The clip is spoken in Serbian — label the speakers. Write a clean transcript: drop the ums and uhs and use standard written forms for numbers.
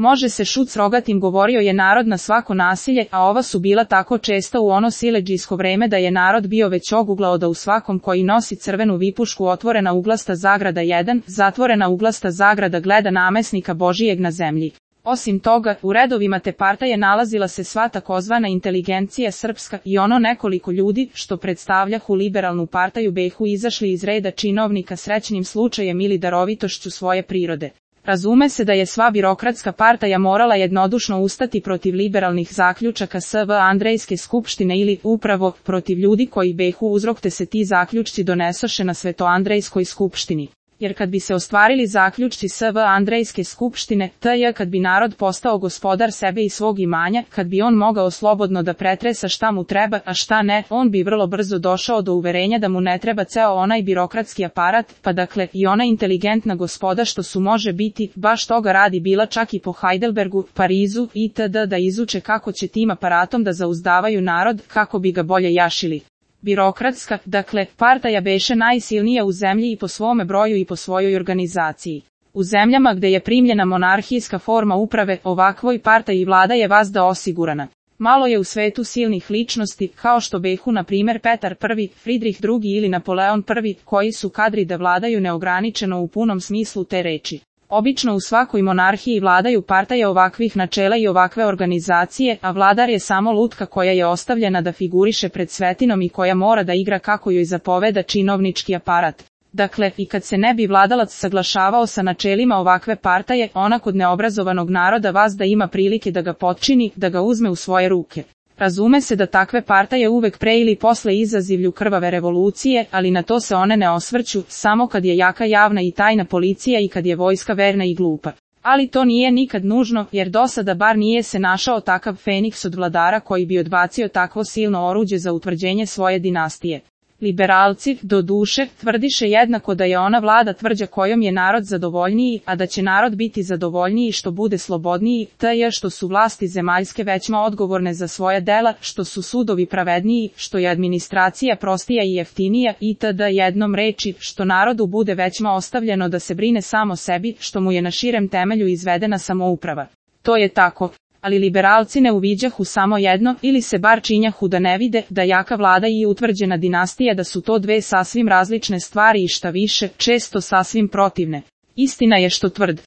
Speaker 1: Može se šut s rogatim, govorio je narod na svako nasilje, a ova su bila tako česta u ono siledžijsko vreme da je narod bio već oguglao da u svakom koji nosi crvenu vipušku otvorena uglasta zagrada 1, zatvorena uglasta zagrada gleda namesnika Božijeg na zemlji. Osim toga, u redovima te partaje nalazila se sva takozvana inteligencija srpska i ono nekoliko ljudi, što predstavljahu liberalnu partaju behu izašli iz reda činovnika srećnim slučajem ili darovitošću svoje prirode. Razume se da je sva birokratska partaja morala jednodušno ustati protiv liberalnih zaključaka SV Andrejske skupštine ili, upravo, protiv ljudi koji behu uzrok te se ti zaključci donesoše na Svetoandrejskoj skupštini. Jer kad bi se ostvarili zaključci SV Andrejske skupštine, kad bi narod postao gospodar sebe i svog imanja, kad bi on mogao slobodno da pretresa šta mu treba, a šta ne, on bi vrlo brzo došao do uverenja da mu ne treba ceo onaj birokratski aparat, pa dakle i ona inteligentna gospoda što su može biti, baš toga radi bila čak i po Heidelbergu, Parizu itd. Da izuče kako će tim aparatom da zauzdavaju narod, kako bi ga bolje jašili. Birokratska, dakle, partaja beše najsilnija u zemlji i po svome broju i po svojoj organizaciji. U zemljama gde je primljena monarhijska forma uprave, ovakvoj partaji vlada je vazda osigurana. Malo je u svetu silnih ličnosti, kao što behu na primjer Petar I, Fridrih II ili Napoleon I, koji su kadri da vladaju neograničeno u punom smislu te reči. Obično u svakoj monarhiji vladaju partaje ovakvih načela i ovakve organizacije, a vladar je samo lutka koja je ostavljena da figuriše pred svetinom i koja mora da igra kako joj zapoveda činovnički aparat. Dakle, i kad se ne bi vladalac saglašavao sa načelima ovakve partaje, ona kod neobrazovanog naroda vazda ima prilike da ga potčini, da ga uzme u svoje ruke. Razume se da takve partaje uvek pre ili posle izazivlju krvave revolucije, ali na to se one ne osvrću, samo kad je jaka javna i tajna policija i kad je vojska verna i glupa. Ali to nije nikad nužno, jer do sada bar nije se našao takav feniks od vladara koji bi odbacio takvo silno oruđe za utvrđenje svoje dinastije. Liberalci, do duše, tvrdiše jednako da je ona vlada tvrđa kojom je narod zadovoljniji, a da će narod biti zadovoljniji što bude slobodniji, što su vlasti zemaljske većma odgovorne za svoje dela, što su sudovi pravedniji, što je administracija prostija i jeftinija itd. Jednom reči, što narodu bude većma ostavljeno da se brine samo sebi, što mu je na širem temelju izvedena samouprava. To je tako. Ali liberalci ne uviđahu samo jedno, ili se bar činjahu da ne vide, da jaka vlada i utvrđena dinastija da su to dve sasvim različne stvari i šta više, često sasvim protivne. Istina je što tvrd.